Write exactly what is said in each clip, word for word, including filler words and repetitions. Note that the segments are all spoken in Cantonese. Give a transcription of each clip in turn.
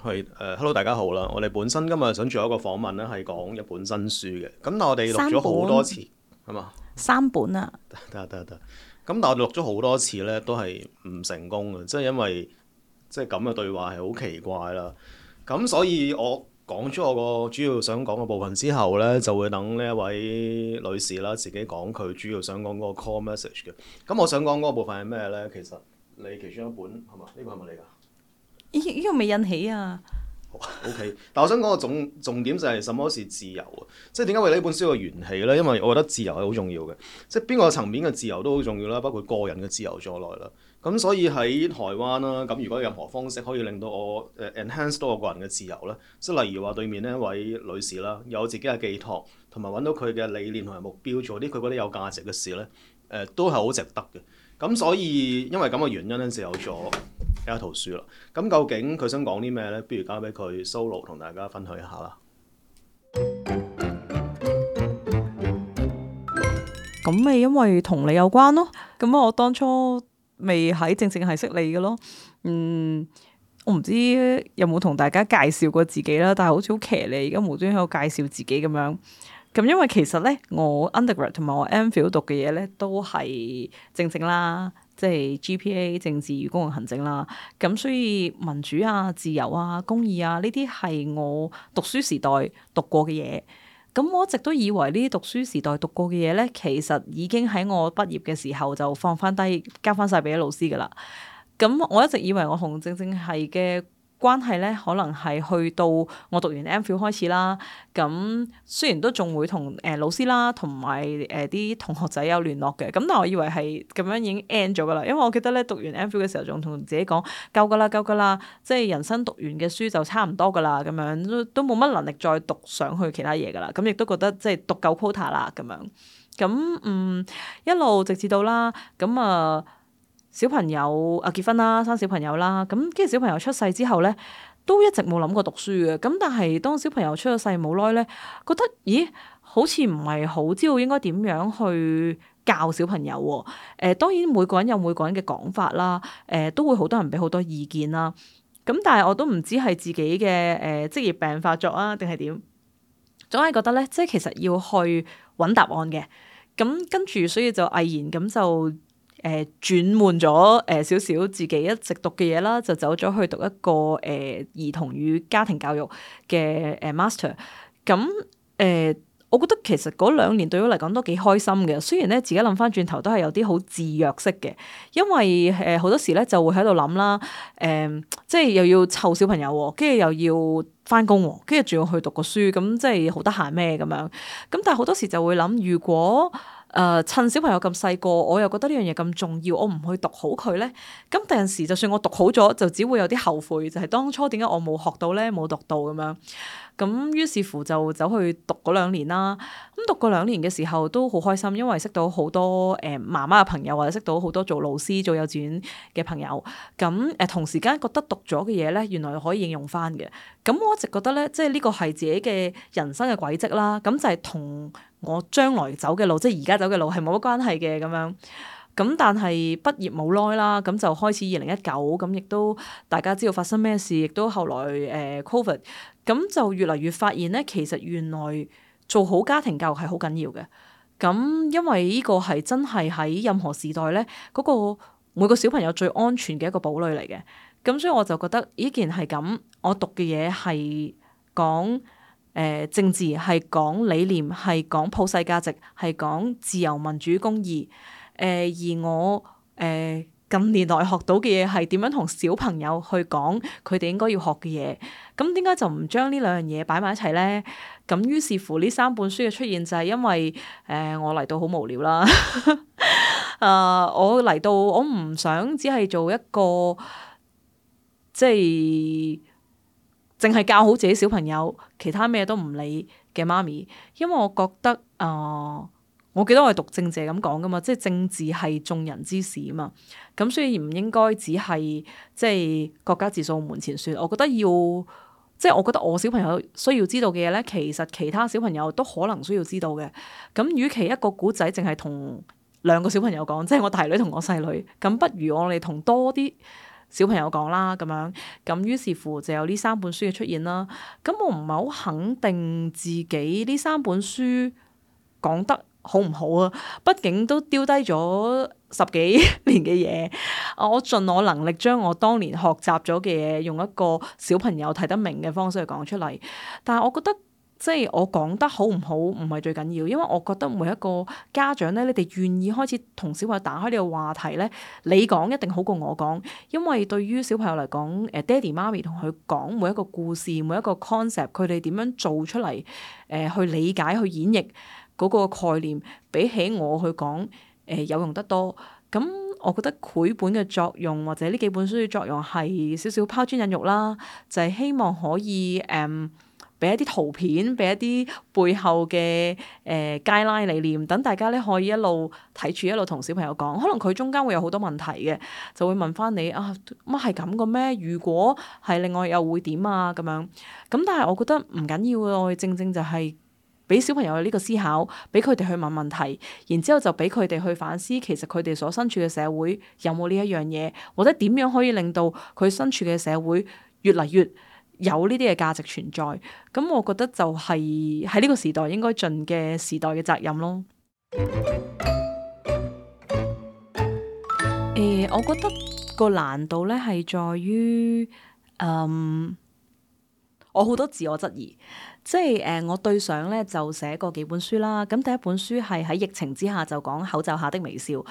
係誒，hello 大家好啦！我哋本身今日想做一個訪問咧，係講一本新書嘅。咁但係我哋錄咗好多次，係嘛？三本啊，得得得。咁但係我哋錄咗好多次咧，都係唔成功嘅，即係因為即係咁嘅對話係好奇怪啦。咁所以我講咗我個主要想講嘅部分之後咧，就會等呢一位女士啦自己講佢主要想講嗰個 core message 嘅。咁我想講嗰個部分係咩咧？其實你其中一本係嘛？呢個係咪你㗎？呢呢個未印起啊。O.K.，但我想講個重重點就係什麼是自由啊？即係點解為呢本書嘅緣起呢？因為我覺得自由係好重要嘅，即係邊個層面嘅自由都好重要啦，包括個人嘅自由在內啦。咁所以喺台灣啦，咁如果有任何方式可以令到我誒 enhance 到我個人嘅自由呢，即係例如話對面呢一位女士啦，有自己嘅寄託，同埋揾到佢嘅理念同埋目標，做啲佢覺得有價值嘅事呢，誒、呃、都係好值得嘅。咁所以因為咁嘅原因咧，就有咗呢一套書啦。咁究竟佢想講啲咩咧？不如交俾佢 solo 同大家分享一下啦。咁咪因為同你有關咯。咁我當初未喺正正係識你嘅咯。嗯，我唔知有冇同大家介紹過自己啦，但係好似好騎呢，而家無端喺度介紹自己咁樣。咁因為其實咧，我 undergrad 同埋我 MPhil 讀嘅嘢咧，都係政政啦，即係 G P A 政治與公共行政啦。咁所以民主啊、自由啊、公義啊呢啲係我讀書時代讀過嘅嘢。咁我一直都以為呢啲讀書時代讀過嘅嘢咧，其實已經喺我畢業嘅時候就放翻低，交翻晒俾啲老師噶啦。咁我一直以為我同政政系嘅關係咧，可能係去到我讀完 MPhil 開始啦。咁雖然都仲會同誒老師啦，同埋誒啲同學仔有聯絡嘅。咁但係我以為係咁樣已經 end 咗噶啦。因為我記得咧，讀完 MPhil 嘅時候仲同自己講夠噶啦，夠噶啦，即係人生讀完嘅書就差唔多噶啦。咁樣都都冇乜能力再讀上去其他嘢噶啦。咁亦都覺得即係讀夠 quota 啦咁樣。咁嗯一路直至到啦，咁啊。小朋友啊結婚啦，生小朋友啦，咁跟住小朋友出世之後咧，都一直冇諗過讀書嘅。咁但係當小朋友出咗世冇耐咧，覺得咦，好似唔係好知道應該點樣去教小朋友喎。誒、呃，當然每個人有每個人嘅講法啦，誒、呃、都會好多人俾好多意見啦。咁但係我都唔知係自己嘅誒、呃、職業病發作啊，定係點？總係覺得咧，即係其實要去揾答案嘅。咁跟住所以就毅然咁就。誒、呃、轉換咗誒少少自己一直讀嘅嘢啦，就走咗去讀一個誒、呃、兒童與家庭教育嘅誒、呃、master。咁誒、呃，我覺得其實嗰兩年對我嚟講都幾開心嘅。雖然咧自己諗翻轉頭都係有啲好自虐式嘅，因為誒好、呃、多時咧就會喺度諗啦，誒、呃、即係又要湊小朋友，跟住又要翻工，跟住仲要去讀個書，咁即係好得閒咩咁樣。咁但係好多時就會諗，如果誒、呃、趁小朋友咁細個，我又覺得呢樣嘢咁重要，我唔去讀好佢咧，咁第陣時就算我讀好咗，就只會有啲後悔，就係、是、當初點解我冇學到咧，冇讀到咁樣。咁於是乎就走去讀嗰兩年啦。咁讀嗰兩年嘅時候都好開心，因為識到好多誒、呃、媽媽嘅朋友，或者識到好多做老師、做幼稚園嘅朋友。咁誒、呃、同時間覺得讀咗嘅嘢咧，原來可以應用翻嘅。咁我一直覺得咧，即係呢個係自己嘅人生嘅軌跡啦。咁就係同我將來走嘅路，即係而家走嘅路係冇乜關係嘅咁樣。咁但係畢業冇耐啦，咁就開始二零一九，咁亦都大家知道發生咩事，亦都後來誒、呃、Covid，咁就越嚟越發現咧，其實原來做好家庭教育係好緊要嘅。咁因為呢個係真係喺任何時代咧，嗰、嗰個每個小朋友最安全嘅一個堡壘嚟嘅。咁所以我就覺得，依件係咁，我讀嘅嘢係講誒政治，係講理念，係講普世價值，係講自由民主公義。誒、呃、而我誒、呃、近年來學到嘅嘢係點樣同小朋友去講佢哋應該要學嘅嘢。咁點解就唔將呢兩樣嘢擺埋一齊咧？咁於是乎呢三本書嘅出現就係因為誒、呃、我嚟到好無聊啦。誒、呃、我嚟到我唔想只係做一個即係淨係教好自己小朋友，其他咩都唔理嘅媽咪，因為我覺得誒。呃我記得我係讀政治咁講噶嘛，即係政治係眾人之事啊嘛，咁所以唔應該只係即係國家自掃門前雪。我覺得要即係我覺得我小朋友需要知道嘅嘢咧，其實其他小朋友都可能需要知道嘅。咁與其一個古仔淨係同兩個小朋友講，即係我大女同我細女，咁不如我哋同多啲小朋友講啦咁樣，咁於是乎就有呢三本書嘅出現啦。咁我唔係好肯定自己呢三本書講得好唔好啊？畢竟都丟低咗十幾年嘅嘢，我盡我能力將我當年學習咗嘅嘢，用一個小朋友睇得明嘅方式去講出嚟。但係我覺得即係我講得好唔好唔係最緊要，因為我覺得每一個家長咧，你哋願意開始同小朋友打開呢個話題咧，你講一定好過我講，因為對於小朋友嚟講，誒爹哋媽咪同佢講每一個故事、每一個 concept，佢哋點樣做出嚟，誒、呃、去理解、去演繹嗰個概念，比起我去講，誒、呃、有用得多。咁我覺得繪本嘅作用或者呢幾本書嘅作用係少少拋磚引玉啦，就係、是、希望可以誒俾、嗯、一啲圖片，俾一啲背後嘅誒 guideline 理念，等大家咧可以一路睇住一路同小朋友講。可能佢中間會有好多問題嘅，就會問翻你啊，乜係咁嘅咩？如果係另外又會點啊？咁樣咁，但係我覺得唔緊要嘅，我哋正正就係、是。俾小朋友有呢個思考，俾佢哋去問問題，然之後就俾佢哋去反思，其實佢哋所身處嘅社會有冇呢一樣嘢，或者點樣可以令到佢身處嘅社會越嚟越有呢啲嘅價值存在。咁我覺得就係喺呢個時代應該盡嘅時代嘅責任咯。誒、呃，我覺得個難度咧係在於，嗯，我好多自我質疑。即係誒、呃，我對上咧就寫過幾本書啦。咁第一本書係喺疫情之下就講口罩下的微笑。咁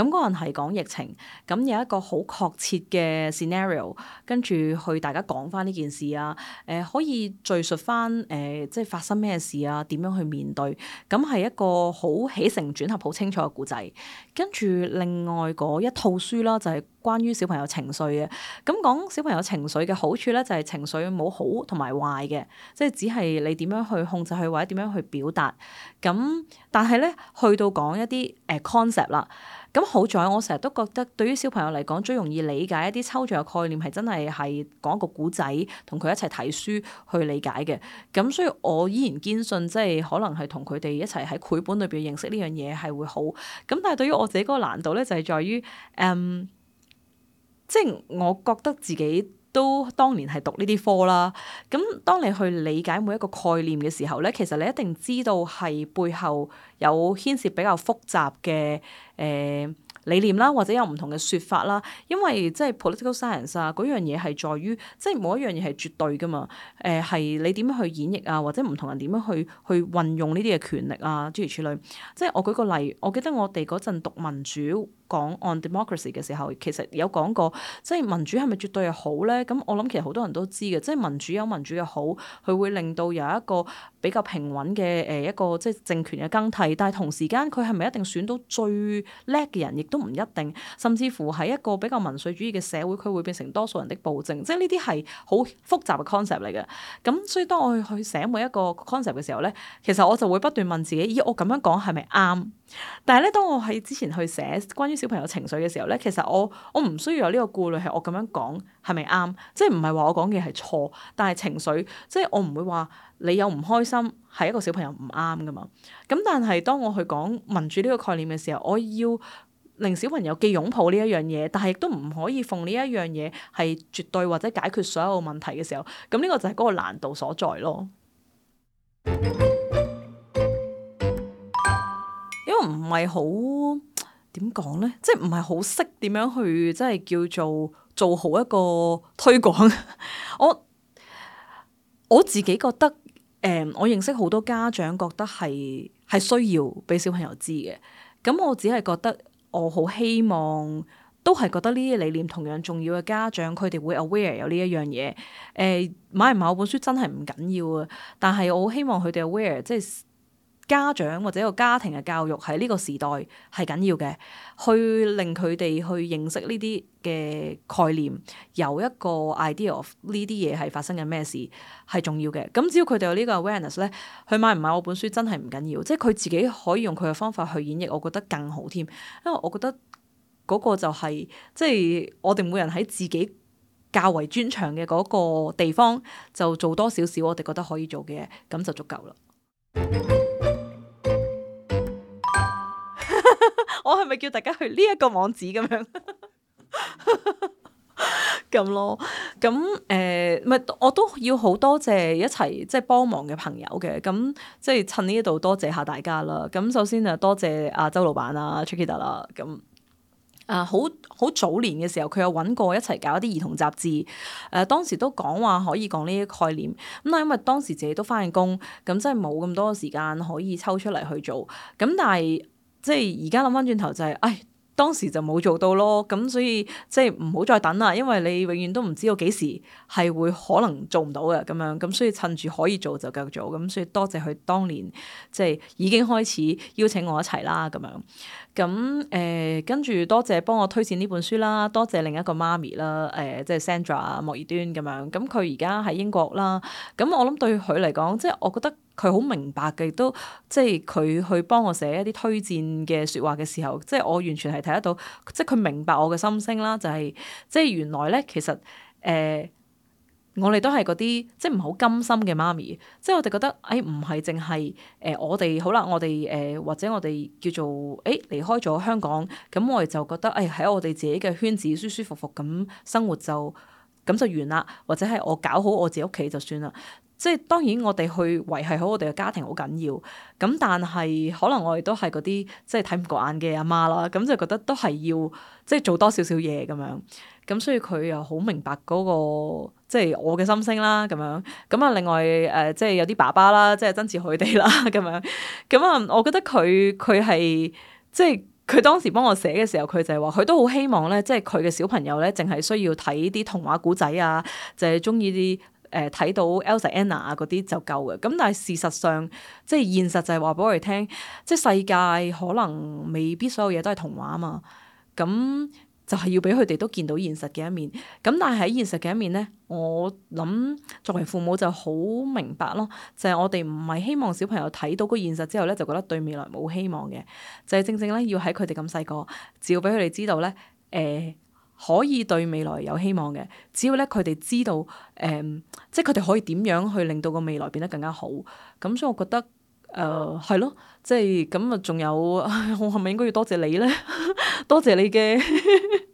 嗰陣係講疫情，咁有一個好確切嘅 scenario，跟住去大家講翻呢件事啊。誒、呃，可以敘述翻誒、呃，即係發生咩事啊？點樣去面對？咁係一個好起承轉合好清楚嘅故仔。跟住另外嗰一套書啦，就係、是、關於小朋友情緒嘅。咁講小朋友情緒嘅好處咧，就係、是、情緒冇好同埋壞嘅，即係只係你點樣去控制佢，或者點樣去表達。咁但係咧，去到講一啲誒 concept 啦。咁好在我成日都覺得，對於小朋友嚟講，最容易理解一啲抽象嘅概念係真係係講一個古仔，同佢一齊睇書去理解嘅。咁所以我依然堅信，即係可能係同佢哋一齊喺繪本裏邊認識呢樣嘢係會好。咁但係對於我自己嗰個難度咧，就係在於誒。嗯即係我覺得自己都當年係讀呢啲科啦，咁當你去理解每一個概念嘅時候咧，其實你一定知道係背後有牽涉比較複雜嘅誒、呃理念啦，或者有唔同嘅説法啦，因為即係 political science 啊，嗰樣嘢係在於，即係冇一樣嘢係絕對噶嘛。誒、呃、係你點樣去演繹啊，或者唔同人點樣去去運用呢啲嘅權力啊，諸如此類。即係我舉個例，我記得我哋嗰陣讀民主講 on democracy 嘅時候，其實有講過，即係民主係咪絕對係好咧？咁我諗其實好多人都知嘅，即係民主有民主嘅好，佢會令到有一個比較平穩嘅誒一個即係政權嘅更替，但係同時間佢係咪一定選到最叻嘅人，亦都唔一定，甚至乎喺一個比較民粹主義嘅社會，佢會變成多數人的暴政，即係呢啲係好複雜嘅 concept 嚟嘅。咁所以當我去去寫每一個 concept 嘅時候咧，其實我就會不斷問自己：咦，我咁樣講係咪啱？但係咧，當我喺之前去寫關於小朋友情緒嘅時候咧，其實我我唔需要有呢個顧慮，係我咁樣講係咪啱？即係唔係話我講嘅係錯，但係情緒，即係我唔會話你有唔開心係一個小朋友唔啱噶嘛。咁但係當我去講民主呢個概念嘅時候，我要令小朋友既擁抱呢一樣嘢，但係亦都唔可以奉呢一樣嘢係絕對或者解決所有問題嘅時候，咁呢個就係嗰個難度所在咯。因為唔係好點講咧，即係唔係好識點樣去即係叫做做好一個推廣。我我自己覺得，誒、呃，我認識好多家長覺得係係需要俾小朋友知嘅。咁我只係覺得，我好希望都係覺得呢啲理念同樣重要嘅家長，佢哋會 aware 有呢一樣嘢。誒、呃，買唔買我本書真係唔緊要啊，但係我好希望佢哋 aware，即係。家長或者一個家庭嘅教育喺呢個時代係緊要嘅，去令佢哋去認識呢啲嘅概念，有一個 idea of 呢啲嘢係發生緊咩事係重要嘅。咁只要佢哋有呢個 awareness 咧，佢買唔買我本書真係唔緊要，即係佢自己可以用佢嘅方法去演繹，我覺得更好添。因為我覺得嗰個就係即係我哋每人喺自己較為專長嘅嗰個地方，就做多少少我哋覺得可以做嘅嘢，咁就足夠啦。我係咪叫大家去呢一個網址咁樣？咁咯。咁誒，咪、我都要好多謝一齊即係幫忙嘅朋友嘅。咁即係趁呢一度多謝下大家啦。咁首先就多謝阿周老闆啊 Chiquita 啦。咁啊，好好早年嘅時候，佢有揾過一齊搞一啲兒童雜誌。誒、呃，當時都講話可以講呢啲概念。咁但係因為當時自己都翻緊工，咁真係冇咁多時間可以抽出嚟去做。咁但係即係而家諗翻轉頭就係、是，唉。當時就冇做到咯，咁所以即係唔好再等啦，因為你永遠都唔知道幾時係會可能做唔到嘅咁樣，咁所以趁住可以做就繼續做，咁所以多謝佢當年即係已經開始邀請我一齊啦咁樣，咁誒跟住多謝幫我推薦呢本書啦，多謝另一個媽咪啦，誒、呃、即係 Sandra 莫爾端咁樣，咁佢而家喺英國啦，咁我諗對佢嚟講，即係我覺得。佢好明白嘅，亦都即係佢去幫我寫一啲推薦嘅説話嘅時候，即係我完全係睇得到，即係佢明白我嘅心聲啦。就係、是、即係原來咧，其實誒、呃、我哋都係嗰啲即係唔好甘心嘅媽咪，即係我哋覺得誒唔係淨係誒我哋好啦，我哋誒、呃、或者我哋叫做誒、欸、離開咗香港，咁我哋就覺得誒喺、哎、我哋自己嘅圈子舒舒服服咁生活就咁就完啦，或者係我搞好我自己屋企就算啦。即係當然，我哋去維繫好我哋嘅家庭好緊要。咁但係可能我哋都係嗰啲即係睇唔過眼嘅阿媽啦。咁就覺得都係要即係做多少少嘢咁樣。咁所以佢又好明白嗰、那個即係我嘅心聲啦。咁樣咁啊，另外誒、呃、即係有啲爸爸啦，即係曾志佢哋啦。咁樣咁啊，我覺得佢佢係即係佢當時幫我寫嘅時候，佢就係話佢都好希望咧，即係佢嘅小朋友咧，淨係需要睇啲童話故仔啊，就係中意啲。誒睇、呃、到 Elsa Anna 啊嗰啲就夠嘅，咁但係事實上即係現實就係話俾我哋聽，即係世界可能未必所有嘢都係童話啊嘛，咁就係要俾佢哋都見到現實嘅一面。咁但係喺現實嘅一面咧，我諗作為父母就好明白咯，就係、是、我哋唔係希望小朋友睇到個現實之後咧，就覺得對未來冇希望嘅，就係、是、正正咧要喺佢哋咁細個，只要俾佢哋知道咧，誒、呃。可以對未來有希望嘅，只要咧佢哋知道，誒、嗯，即係佢哋可以點樣去令到個未來變得更加好。咁所以我覺得，誒、呃，係咯，即係咁啊，仲有，我係咪應該要多謝你咧？多謝你嘅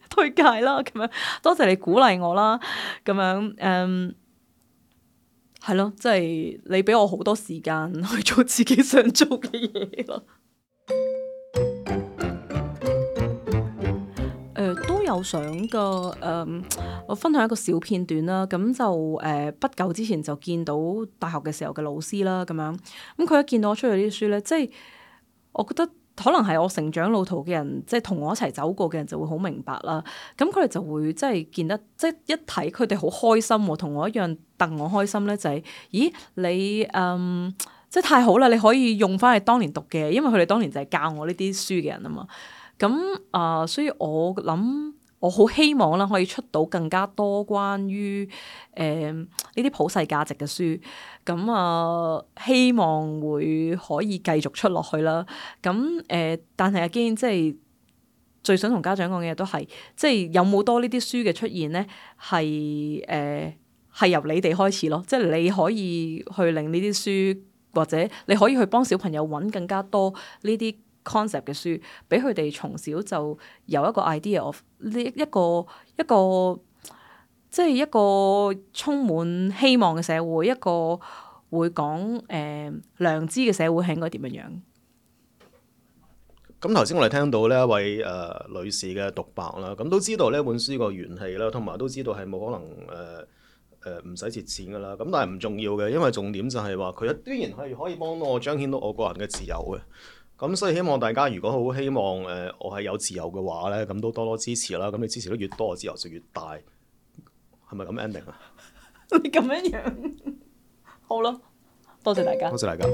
推介啦，咁樣，多謝你鼓勵我啦，咁樣，誒、嗯，係咯，即係你俾我好多時間去做自己想做嘅嘢咯。誒、呃、都有想㗎，誒、呃、我分享一個小片段啦。咁就誒、呃、不久之前就見到大學嘅時候嘅老師啦，咁樣咁佢一見到我出咗啲書咧，即係我覺得可能係我成長路途嘅人，即係同我一齊走過嘅人就會好明白啦。咁佢哋就會即係見得即係一睇佢哋好開心喎，同我一樣戥我開心咧，就係、是、咦你嗯即係太好啦，你可以用翻你當年讀嘅，因為佢哋當年就係教我呢啲書嘅人啊嘛。咁啊、呃，所以我諗我好希望啦，可以出到更加多關於誒呢啲普世價值嘅書。咁啊、呃，希望會可以繼續出落去啦。咁誒、呃，但係阿堅即係最想同家長講嘅嘢都係，即係有冇多呢啲書嘅出現咧？係誒係由你哋開始咯，即係你可以去令呢啲書，或者你可以去幫小朋友揾更加多呢啲 concept 嘅書，俾佢哋從小就有一個 idea of 呢一個一個即係一個充滿希望嘅社會，一個會講誒、呃、良知嘅社會係應該點樣樣。咁頭先我哋聽到呢一位誒、呃、女士嘅獨白啦，咁都知道呢本書個元氣啦，同埋都知道係冇可能誒誒唔使蝕錢噶啦。咁但係唔重要嘅，因為重點就係話佢依然係可以幫到我彰顯到我個人嘅自由嘅。咁所以希望大家如果好希望誒、呃、我係有自由嘅話咧，咁都多多支持啦。咁你支持得越多，自由就越大，係咪咁 ending 啊？你咁樣樣好咯，多謝大家，多謝大家。